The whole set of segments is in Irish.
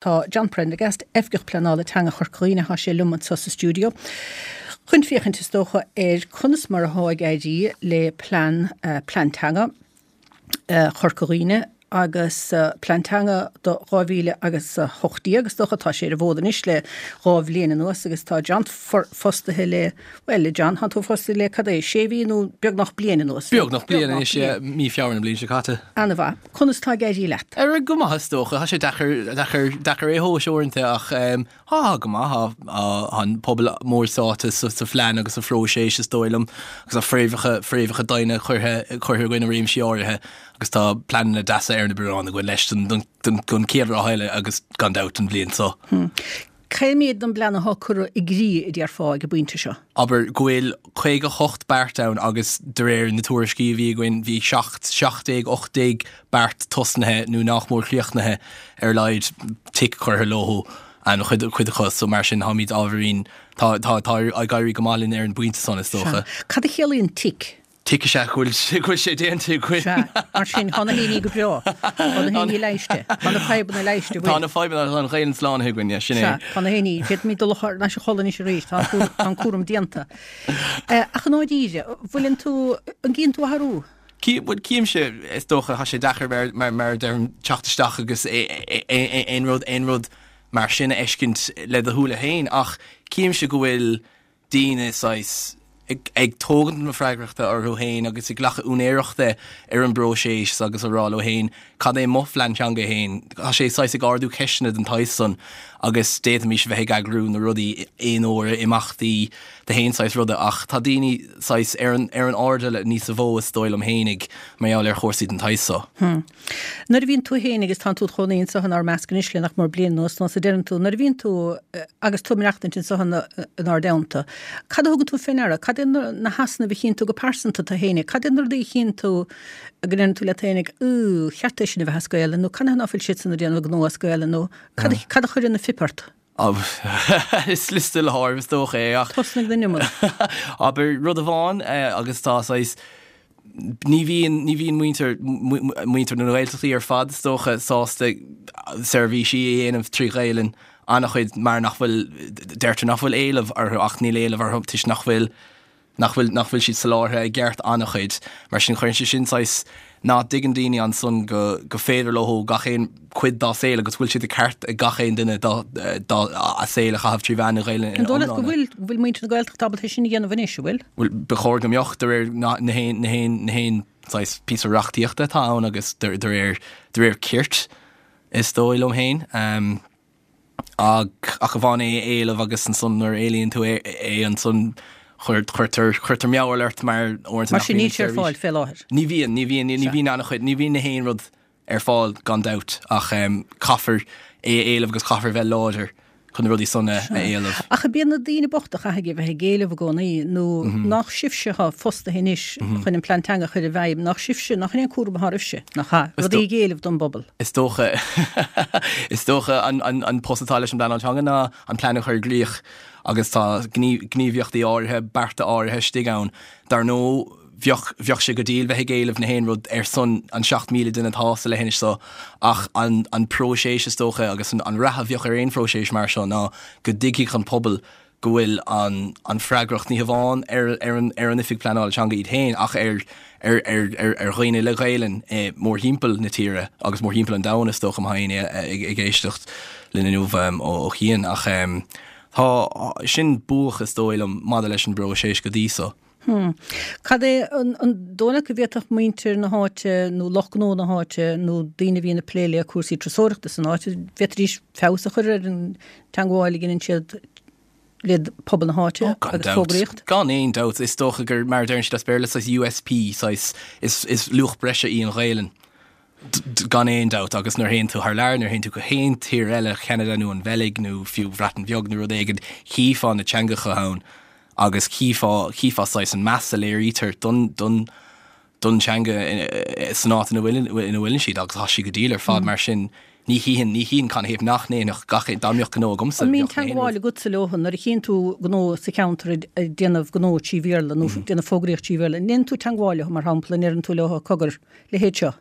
Tá John Prendergast, Oifigeach Pleanála Teanga Chorca Dhuibhne, tá sé liom anseo sa stiúideo chun féachaint is dócha ar conas mar atá ag éirí le plean, plean teanga Chorca Dhuibhne agus plean teanga do 2000 agus 18 is dócha, tá sé ar an bhfód anois le dhá bhliain anuas agus tá John fostaithe le, bhuel, a John, tá tú fostaithe le cad é, sé mhí nó beagnach bliain anuas? Beagnach bliain anois, mí Feabhra na bliana seo caite. Ana-mhaith. Conas tá ag éirí leat? Ar go maith is dócha. Tá sé deacair, deacair, deacair é a thomhas uaireanta ach tá go maith. Tá an pobal mór sáite sa, sa phlean agus sa phróiseas is dóigh liom agus tá fréamhacha, fréamhacha doimhne curtha, curtha againn i réimsí áirithe agus tá pleananna deasa ar na bioráin againn leis don, don, don, don chéad ráithe eile agus gan dabht don bhliain seo. Cé mhéad den bplean atá curtha i gcrích, a déarfá, ag an bpointe seo? Abair go bhfuil 58 beart ann agus de réir na tuairiscí a bhí againn bhí 17, 18 beart tosnaithe nó nach mór críochnaithe ar a laghad, tic curtha leo an chuid acu so mar sin táimid ábhairín, tá, tá, tá ag éirí go maith linn ar an bpointe san is dócha. Cad a chiallaíonn tic? Tic is ea go bhfuil go bhfuil sé déanta againn. Sea, mar sin, tá na héinní go breá. Tá na héinní leighiste. Tá na fadhbanna leighiste, bhfuil? Tá na fadhbanna, tá an Ghaelainn slánaithe againn, yeah, sin é. Sea, tá na héinní, féadfaimid dul thar n-ais a chodladh anois arís, tá an tá an cúram déanta. Ach i ndáiríre, bhfuileann tú, an gcíonn tú athrú? Cí, bhuel, címse, is dócha, tá sé deacair mar, mar, mar a deirim, teacht isteach agus aon rud, aon rud mar sin a fheiscint le do shúile féin, ach címse go bhfuil, daoine saghas ag tógaint na freagrachta orthu féin agus ag glacadh úinéireachta ar an bpróiseas agus a rá leo féin cad é mo phlean teanga féin. Tá sé saghas ag ardú ceisteanna den tsaghas san agus d'fhéadfaimis a bheith ag eagrú na rudaí aon uair, imeachtaí de haon saghas ruda ach tá daoine saghas ar an ar an airdeall níosa mhó is dóigh liom féinig mar gheall ar chúrsaí den tsaghas so. Nuair a bhíonn tú féin, agus tánn tú id chónaí anseo inár measc anois le nach mór bliain anuas, nós a deireann tú, nuair a bhíonn tú, agus tú ag maireachtaint anseo inár dteannta, cad a thugann tú fé ndeara? Cad é na heasnaimh a chíonn tú go pearsanta tú féinig? Cad é na rudaí a chíonn tú go ndeireann tú leat féinig, Ú, cheart é sin a bheith as Gaelainn, nó canathaobh ná fuil siadsan ag déanamh gnó as Gaelainn, nó cad a chuireann an phip ort? Is liosta le háireamh is dócha é ach. Tosnaigh den iomad. Abair rud amháin agus tá saghas, ní bhíonn, ní bhíonn muintir, muintir na Gaeltachtaí ar fad is dócha sásta seirbhísí a dhéanamh trí Ghaelainn an-chuid mar nach bhfuil, deirtear nach bhfuil éileamh orthu ach níl éileamh orthu toisc nach bhfuil nach bhfuil, nach bhfuil siad soláthartha i gceart an-chuid. Mar sin, cuireann sé sin saghas, ná dtuigeann daoine ansan go, go féidir leo gach aon cuid dá saol agus go bhfuil sé de ceart ag gach aon duine dá, dá, a saol a chaitheamh trí mheán na Gaelainne ina An dóigh leat go iomláine. bhfuil, go bhfuil muintir na Gaeltachta ábalta é sin a dhéanamh anois, an bhfuil? Bhuel, ba chóir go mbeadh, de réir na, na haon, na haon, na haon saghas píosa reachtaíochta atá ann agus de, de réir, de réir cirt, is dóigh liom féin. Ach ach amháin é a éileamh agus ansan nuair a éilíonn tú é é ansan cuirtear cuirtear mearbhall ort mar uaireanta Mar sin níl sé ar fáil fé láthair. Ní bhíonn, ní bhíonn, ní bhíonn an-chuid, ní bhíonn na haon rud ar fáil gan dabht ach caithfear é a éileamh agus caithfear a bheith láidir chun na rudaí san a éileamh. Ach ab iad na daoine bochta a chaithfidh a bheith ag éileamh i gcónaí nó nach sibhse atá fostaithe anois chun an plean teanga a chur i bhfeidhm, nach sibhse, nach in é an cúram atá oraibhse, nach ea, rudaí ag éileamh don bpobal. Is dócha, is dócha an, an, an post atá leis an bpleanáil teanga ná an plean a chur i gcrích agus tá gníomhaíochtaí áirithe, bearta áirithe istigh ann. Dar ndóigh, bheadh, bheadh sé go diail bheith ag éileamh na haon rud ar son an 7,000 duine atá sa leithinis seo ach an, an próiseas is dócha agus an, an rath a bheadh ar aon phróiseas mar seo ná go dtuigfeadh an pobal go bhfuil an an freagracht ní hamháin ar ar an ar an Oifig Pleanála Teanga iad féin ach ar ar ar ar ar dhaoine le Gaelainn mórthimpeall na tíre agus mórthimpeall an domhain is dócha má tá éinne ag ag éisteacht linn inniu ó ó chian ach tá sin buadh is dóigh liom maidir leis an bpróiseas go dtí so. Hmm. Cad é an an dóigh leat go bhféadfadh muintir na háite nó lucht gnó na háite nó daoine a bhíonn ag plé le cúrsaí turasóireachta san áit, bhféadfaidís feabhas a chur ar an teangmháil a dhéanann siad le pobal na háite Oh, gan agus dabht. fógraíocht? Gan aon dabht. Is dócha gur, mar a deireann siad as Béarla, saghas USP, saghas, is, is luach breise í an Ghaelainn. Gan aon dabht, agus nuair a théann tú thar lear, nuair a théann tú go haon tír eile, Ceanada nó an Bheilg nó fiú Bhreatain Bheag nó rud éigin, chífeá na teangacha ann agus chífeá, chífeá saghas an meas a léirítear don, don, don teanga san áit ina bhfuil, ina bhfuileann siad agus tá sí go diail ar fad mar sin ní chífinn, ní chífinn canathaobh nach ndéanfadh gach aon, dá mbeadh gnó agamsa, An mbíonn bheadh aon rud. teagmháil agatsa leo nuair a chíonn tú gnó sa cheantar ag déanamh gnó trí Bhéarla nó ag déanamh fógraíocht trí Bhéarla, an ndéanann tú teagmháil leo mar shampla, an ndeireann tú leo cogar, leithéid seo.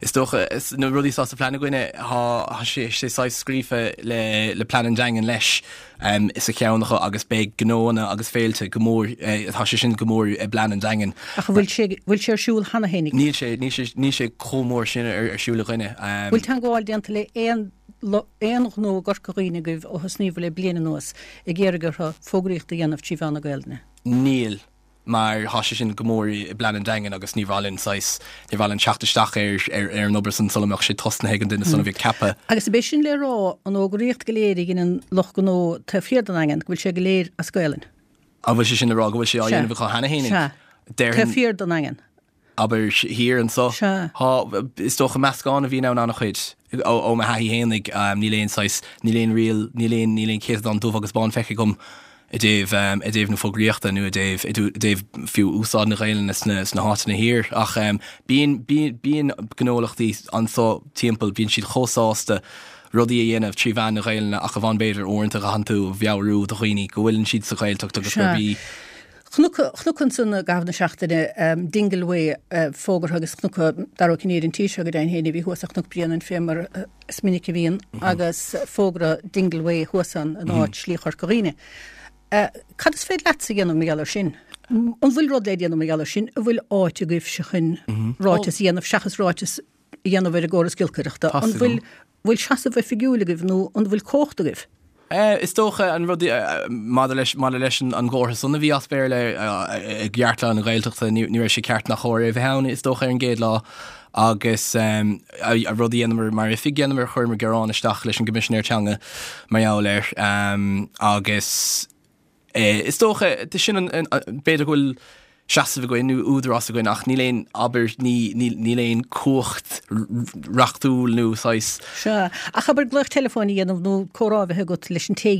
Is dócha, na rudaí atá sa phlean againne, tá sé saghas scríofa le plean an Daingin leis sa cheann acu agus beidh gnóanna agus féilte go mór, tá sé sin go mór i bplean an Daingin. Ach an bhfuil sé, bhfuil sé ar siúl cheana féin? Níl sé, níl sé, níl sé chomh mór sin ar siúl againne. Bhfuil teagmháil déanta le aon, aon ghnó i gCorca Dhuibhne agaibh ó thosnaíobhair le bliain anuas ag iarraidh orthu fógraíocht a dhéanamh trí mheán na Gaelainne? Níl. mar thá sé sin go mór i bplean an Daingin agus ní mhaith linn saghas, ní mhaith linn teacht isteach ar, ar, ar an obair san sula mbeadh sé tosnaithe ag an duine san a bhí ceaptha. Agus ab é sin le rá, an fhógraíocht go léir a dheineann lucht gnó taobh thiar den Daingean, go bhfuil sé go léir as Gaelainn? An bhfuil sé sin le rá go bhfuil sé á dhéanamh acu cheana fhéinig? Sea. Déarfainn. Taobh thiar den Daingean. Abair, thiar anso. Sea. Thá, is dócha meascán a bhíonn ann an-chuid. Ó, ó mo thaithí fhéinig, níl aon saghas, níl aon riail, níl aon, níl aon chéatadán dubh agus bán feicthe agam i dtaobh, i dtaobh na fógraíochta nó i dtaobh, i dtaobh fiú úsáid na Gaelainne sna, sna háiteanna thiar. Ach bíonn, bíonn, bíonn gnólachtaí anso timpeall, bíonn siad chomh sásta rudaí a dhéanamh trí mheán na Gaelainne ach amháin b'fhéidir uaireanta caitheann tú a mheabhrú do dhaoine go bhfuileann siad sa Ghaeltacht agus gurb í Chonac, chonac ansan i gcaitheamh na seachtaine Dingle Way fógartha agus chonac Dara Ó Cinnéide an tí seo go deimhin féin a bhí thuas ar Chnoc Bréanainn fé mar is minic a bhíonn agus fógra Dingle Way thuas ann in áit Slí Chorca Dhuibhne. Cad is féidir leatsa a dhéanamh mar gheall air sin? An bhfuil rud le déanamh mar gheall air sin? An bhfuil áit agaibhse chun ráiteas a dhéanamh seachas ráiteas a dhéanamh ar an gcóras giolcaireachta? An bhfuil bhfuil seasamh oifigiúil agaibh nó an bhfuil cumhacht agaibh? Is dócha an rud maidir leis maidir leis an gcomhartha san a bhí as Béarla i gceartlár na Gaeltachta, ní raibh sé ceart ná cóir é a bheith ann is dócha ar an gcéad lá agus an rud a dhéanamar mar oifig dhéanamar chuireamar gearán isteach leis an gCoimisinéir Teanga mar gheall air agus Is dócha, sin an, b'fhéidir go bhfuil seasamh againn nó údarás againn ach níl aon, abair, níl aon cumhacht reachtúil nó saghas. Sea, ach abair glaoch teileafóin a dhéanamh nó comhrá a bheith agat leis an té,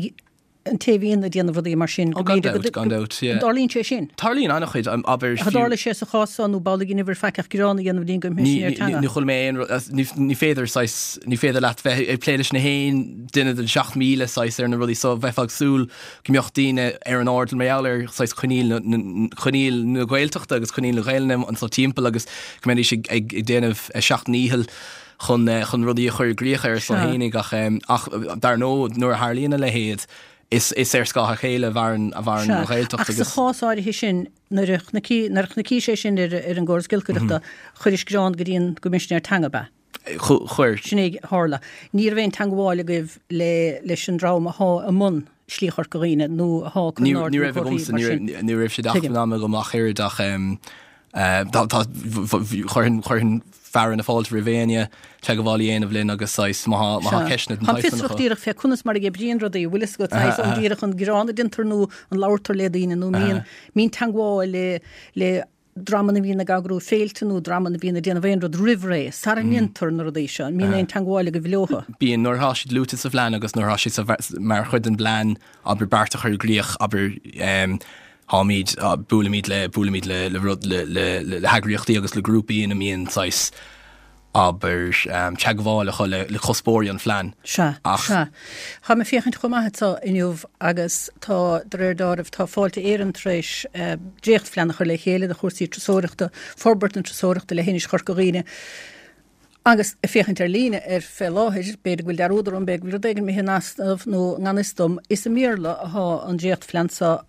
an té a bhíonn ag déanamh rudaí mar sin. Ó gan dabht, gan dabht, yeah. An dtarlaíonn sé sin? Tarlaíonn an-chuid, abair, fiú. Tharla sé sa chás seo nó b'amhlaidh a dheineabhair faic ach gearán a dhéanamh go dtí an gCoimisinéir Teanga? Ní chuala mé aon rud, ní féidir saghas, ní féidir leat bheith ag plé leis na haon duine den 7,000 saghas ar na rudaí so, bheifeá ag súil go mbeadh daoine ar an airdeall mar gheall ar saghas coinníoll na, coinníoll na Gaeltachta agus coinníoll na Gaelainne anso timpeall agus go mbeidís ag, ag, ag déanamh a seacht ndícheall chun, chun rudaí a chur i gcrích ar a son fhéinig ach, ach dar ndóigh nuair a tharlaíonn a leithéid is, is ar scáth a chéile a mhaireann, a mhaireann an Ghaeltacht agus. Ach sa chás áirithe sin nuair a chonaic, nuair a chonaicís é sin ar, ar an gcóras giolcaireachta chuiris gearán go dtí an gCoimisinéir Teanga, ab ea? Chuir. Sin é a tharla. Ní raibh aon teangmháil agaibh le leis an dream athá i mbun Slí Chorca Dhuibhne nó athá ag cur in airde na comharthaí mar sin. Ní raibh sé d'acmhainn ama agam ach oiread ach tá chuirfinn chuirfinn fearadh na fáilte roimh éinne teagmháil a dhéanamh linn agus saghas má tá má tá ceisteanna den tsaghas san acu. Táim fiosrach díreach fé conas mar a oibríonn rudaí, bhfuil fhios agat saghas an díreach an gearán a déantar nó an labhartar le daoine nó mbíonn mbíonn teangmháil le le dreamanna a bhíonn ag eagrú féilte nó dreamanna a bhíonn ag déanamh aon rud roimh ré, sara ndéantar na rudaí seo, an mbíonn aon teangmháil agaibh leothu? Bíonn, nuair atá siad luaite sa phlean agus nuair atá siad sa, mar chuid den bplean, abair, beart a chur i gcrích, abair, táimid, buailimid le, buailimid le, le rud, le, le, le heagraíochtaí agus le grúpaí ina mbíonn saghas, abair, teagmháil acu le cuspóirí an phlean. Sea, sea. Tá mé ag féachaint chomh maith anseo inniu agus tá, de réir dealraimh, tá Fáilte Éireann tar éis dréachtphlean a chur le chéile do chúrsaí turasóireachta, forbairt na turasóireachta le hInis Chorca Dhuibhne. Agus ag féachaint ar líne air fé láthair, b'fhéidir go bhfuil dearúd orm, b'fhéidir go bhfuil rud éigin imithe in easnamh nó i ngan fhios dom, is i mBéarla athá an dréachtphlean seo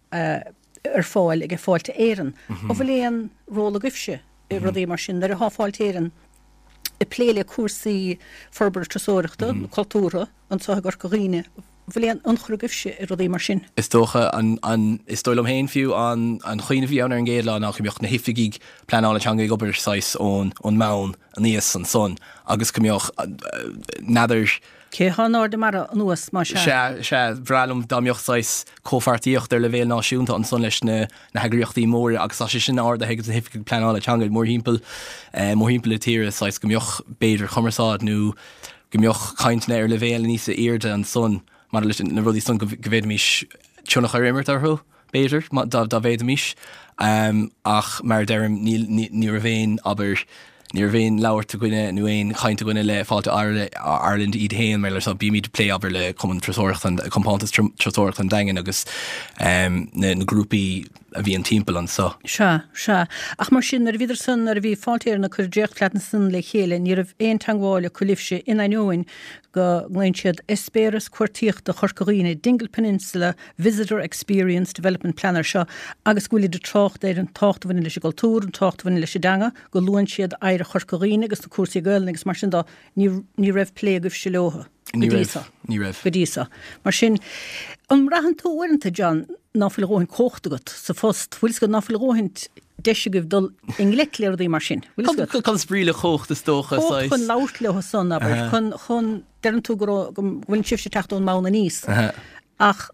ar fáil ag Fáilte Éireann. An bhfuil aon ról agaibhse i rudaí mar sin, nuair athá Fáilte Éireann ag plé le cúrsaí forbartha turasóireachta nó cultúrtha anseo i gCorca Dhuibhne, bhfuil aon ionchur agaibhse i rudaí mar sin? Is dócha an, an, is dóigh liom féin fiú, an, an chuimhne a bhí ann ar an gcéad lá ná go mbeadh na hoifigigh pleanála teanga ag obair saghas ón, ón mbonn aníos ansan agus go mbeadh, n'fheadar, Cé athá in airde mara anuas, más ea? Sea, sea, bhreá liom dá mbeadh saghas comhpháirtíocht ar leibhéal náisiúnta ansan leis na na heagraíochtaí móra agus tá sé sin ardaithe ag na hoifigigh pleanála teanga mórthimpeall mórthimpeall na tíre saghas go mbeadh b'fhéidir cumarsáid nó go mbeadh cainteanna ar leibhéal níos airde ansan maidir leis na rudaí san go bhféadfaimis tionchar a imirt orthu b'fhéidir dá dá bhféadfaimis ach mar a deirim níl ní raibh aon abair Ní raibh aon labhairt againne nó aon chaint againne le Fáilte Ireland iad féin mar so bímid ag plé abair le Cumann Turasóireachta an Compántas Turasóireachta an Daingin agus na grúpaí. a bhíonn timpeall anso. Sea, sea. Ach mar sin, nuair a bhíodar san, nuair a bhí Fáilte Éireann ag cur dréachtphlean san le chéile, ní raibh aon teangmháil acu libhse in ainneoin go nglaonn siad Eispéireas Cuartaíochta Chorca Dhuibhne, Dingle Peninsula Visitor Experience Development Plan air seo agus go bhfuilid ag trácht ar an tábhacht a bhaineann leis an gcultúr, an tábhacht a bhaineann leis an dteanga, go luann siad oidhreacht Chorca Dhuibhne agus na cúrsaí Gaelainne agus mar sin de, ní raibh plé agaibhse leo. Ní raibh, ní raibh. Go dtí seo. Mar sin, an mbraitheann tú uaireanta, John, ná fuil a dhóthain cumhachta agat sa phost? Bhfuil 'fhios agat ná fuil a dhóthain deis agaibh dul i ngleic le rudaí mar sin? Bhfuil 'fhios agat? Cad is brí le cumhacht is dócha, saghas? Cumhacht chun labhairt leo san, abair, chun, chun, deireann tú go raibh, go bhfuil sibhse ag teacht ón mbonn aníos. Ach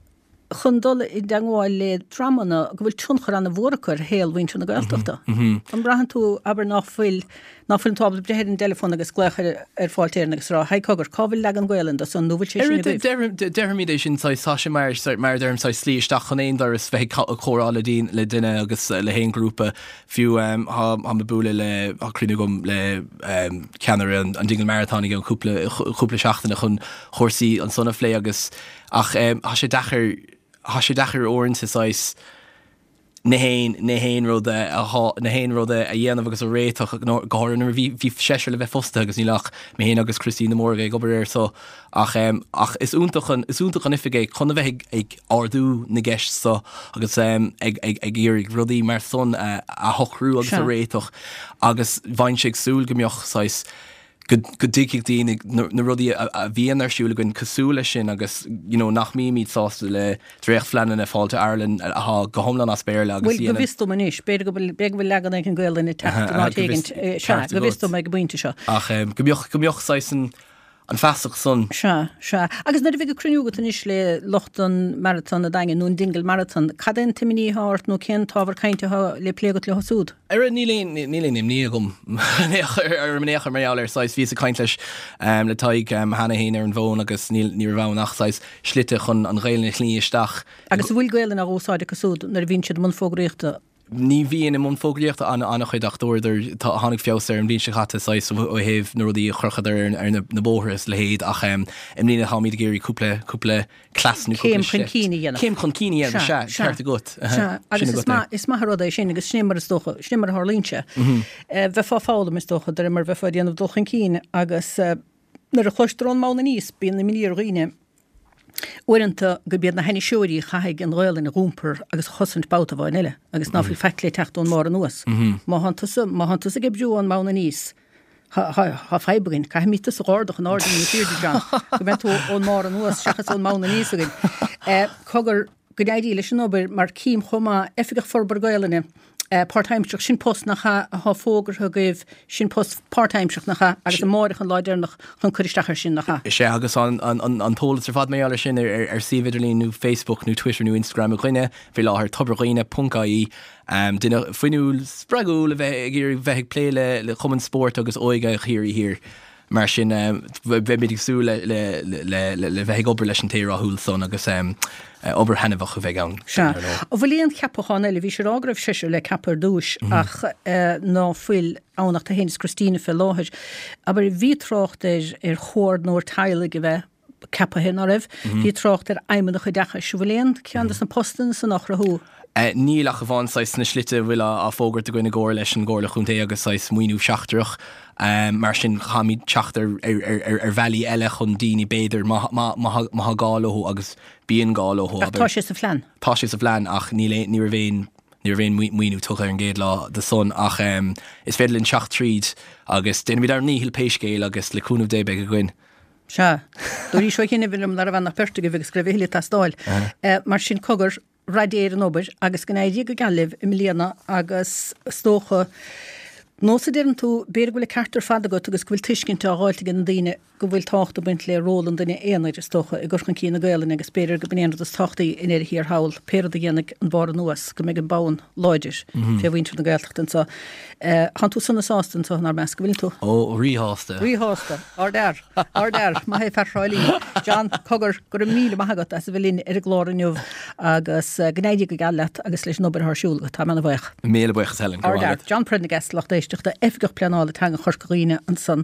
chun dul i dteangmháil le dreamanna go bhfuil tionchar an-mhór acu ar shaol mhuintir na Gaeltachta. An mbraitheann tú, abair, ná fuil, ná fuileann tú ábalta breith ar an dteileafón agus glaoch ar, ar Fáilte Éireann agus rá, Haigh cogar, cá bhfuil leagan Gaelainne de san, nó bhfuil sé sin agaibh? Déarfaimid é sin, saghas, tá sé mar, mar a deirim, saghas slí isteach chun aon doras, bheith ag comhrá le daoine, le duine agus le haon ghrúpa, fiú, tá, táim ag bualadh le, tá cruinniú agam le ceannaire an Dingle Marathon i gceann cúpla, cúpla seachtaine chun cúrsaí ansan a phlé agus, Ach tá sé deacair, tá sé deacair uaireanta saghas na haon, na haon rud a, na haon rud a dhéanamh agus a réiteach, go háirithe nuair a bhí, bhí seisear le bheith fostaithe agus níl ach mé féin agus Christine de Mórdha ag obair air so. Ach, ach is iontach an, is iontach an oifig é chun a bheith ag, ag ardú na gceist so agus ag, ag, ag iarraidh rudaí mar san a, a shocrú agus a réiteach agus bheinnse ag súil go mbeadh saghas, go dtuigfidh daoine na rudaí a bhíonn ar siúl againn cosúil leis sin agus you know nach mbímid sásta le dréachtphleananna Fáilte Ireland atá go hiomlán as Béarla agus Bhuel, go bhfios dom anois, b'fhéidir go bhfuil, b'fhéidir go bhfuil leagan éigin Gaelainne ag teacht in áit éigin, sea, go bhfios dom ag an bpointe seo. Ach go mbeadh, go mbeadh saghas an, an feasacht san. Sea, sea. Agus nuair a bheidh an cruinniú agat anois le lucht an Marathon an Daingin, nó an Dingle Marathon, cad é an t-imní atá ort nó cén t-ábhar cainte atá le plé agat leo siúd? Ara, níl aon, níl aon imní agam ar in aon chor mar gheall air. Saghas, bhíos ag caint leis, le Tadhg cheana féin ar an bhfón agus níl, ní raibh ann ach saghas slite chun an Ghaelainn a shní isteach. Agus an bhfuil Gaelainn á úsáid acu siúd nuair a bhíonn siad i mbun fógraíochta? Ní bhíonn i mbun fógraíochta an-chuid ach dúradar, tá, tháinig feabhas air an bhliain seo caite saghas ó thaobh na rudaí a chrochadar ar na bóithre is a leithéid ach i mbliana táimid ag iarraidh cúpla, cúpla cleas nó cúpla Céim chun cinn a dhéanamh. Céim chun cinn a dhéanamh, sea, ceart agat. Sea, agus is maith, is maith an rud é sin agus sin é mar is dócha, sin é mar a tharlaíonn sé. Bheifeá ag foghlaim is dócha, de réir mar a bheifeá ag déanamh dul chun cinn agus nuair a chloistear ón mbonn aníos bíonn imní ar dhaoine. Uaireanta gurb iad na hainniseoirí a chaithfidh an Ghaolainn a dh'iompar agus a chosaint babhta amháin eile, agus ná fuil faic le teacht ón mbarr anuas. Má thánn tusa, má thánn tusa ag oibriú ón mbonn aníos, thá, thá, thá fadhb againn. Caithfimid tusa dh'ardú in airde níos airde, John, go mbeidh tú ón mbarr anuas seachas ón mbonn aníos againn. Cogar, go n-éirí leis an obair, mar cím chomh maith, Oifigeach Forbartha Gaolainne, Páirtaimsearach, sin post nach ea athá fógartha agaibh, sin post páirtaimsearach nach ea, agus amáireach an lá deireanach chun cur isteach air sin, nach ea? Is ea, agus tá an t-eolas ar fad mar gheall air sin ar suíomh idirlín nó Facebook nó Twitter nó Instagram againne faoi láthair, tobardhuine ponc ie. Duine fuinniúil, spreagúil a bheith ag iarraidh bheith ag plé le cumann spóirt agus óige Chiarraí Thiar. Mar sin, beimid ag súil le bheith ag obair leis an té rathúil san agus obair thaitneamhach a bheidh ann. Sea. An bhfuil aon cheapachán eile? Bhís ag rá go raibh seisear le ceapadh ar dtúis ach ná fuil ann ach tú féin is Christina fé láthair. Abair, bhí trácht ar ar chomhordnóir teaghlaigh a bheith ceapaithe, ná raibh? Bhí trácht ar fheidhmeannach oideachais. An bhfuil aon cheann de na postanna san á chruthú? Níl ach amháin saghas sna slite a bhfuil á fógairt againn i gcomhar leis an gComhairle Chontae agus saghas maoiniú seachtrach. Mar sin caithfimid teacht ar bhealaí eile chun daoine b'fhéidir má tá gá leo agus bíonn gá leo. Ach tá sé sa phlean? Tá sé sa phlean ach níl aon, ní raibh aon, ní raibh aon maoiniú tugtha ar an gcéad lá do san ach is féidir linn teacht tríd agus déanfaimid ár ndícheall pé scéal agus le cúnamh Dé beidh againn. Sea. Dúraís ó shin a bhí liom ná raibh ann ach beirt agaibh agus go raibh a thuilleadh ag teastáil. Mar sin cogar, rath Dé ar an obair agus go n-éirí go geal libh i mbliana agus is dócha, nós a deireann tú, b'fhéidir go bhfuil an ceart ar fad agat agus go bhfuil tuiscint á dh'fháilt ag na daoine go bhfuil tábhacht ag baint le ról an duine aonair, is dócha, i gcur chun cinn na Gaelainne agus b'fhéidir go b'in é an rud is tábhachtaí i ndeireadh thiar thall, pé rud a dhéanfaidh an barr anuas, go mbeidh an bonn láidir fé mhuintir na Gaeltachta anseo. Tánn tú sona sásta anseo inár measc, an bhfuileann tú? Ó, ríshásta. Ríshásta. Ardfhear. Ardfhear. Maith é fear Thrá Lí. John, cogar, go raibh míle maith agat as a bheith linn ar an gclár inniu agus go n-éirí go geal leat agus leis an obair atá ar siúl agat. Táim ana-bhuíoch. Míle buíochas Helen. Go raibh maith agat. Ardfhear. John Prendergast, lucht éisteachta, Oifigeach Pleanála Teanga Chorca Dhuibhne ansan.